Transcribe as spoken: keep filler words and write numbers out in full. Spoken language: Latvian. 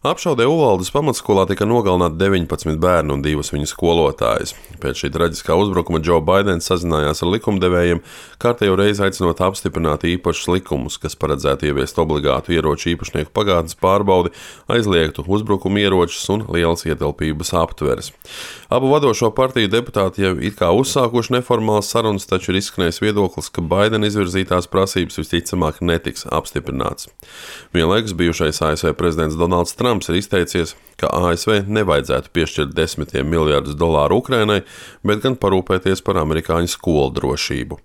Apšaudē Uvaldes pamatskolā tika nogalināti deviņpadsmit bērni un divas viņu skolotājas. Pēc šī traģiskā uzbrukuma Džo Baidens sazinājās ar likumdevējiem, kārtējo reizi aicinot apstiprināt īpašus likumus, kas paredzētu ieviest obligātu ieroču īpašnieku pagātnes pārbaudi, aizliegtu uzbrukumu ieročus un lielas ietilpības aptveres. Abu vadošo partiju deputāti jau it kā uzsākuši neformālas sarunas, taču ir izskanējis viedoklis, ka Baidena izvirzītās prasības visticamāk netiks apstiprināts. Vienlaikus bijušais A S V prezidents Donalds Trumps ir izteicies, ka A S V nevajadzētu piešķirt desmitiem miljardus dolāru Ukrainai, bet gan parūpēties par amerikāņu skolu drošību.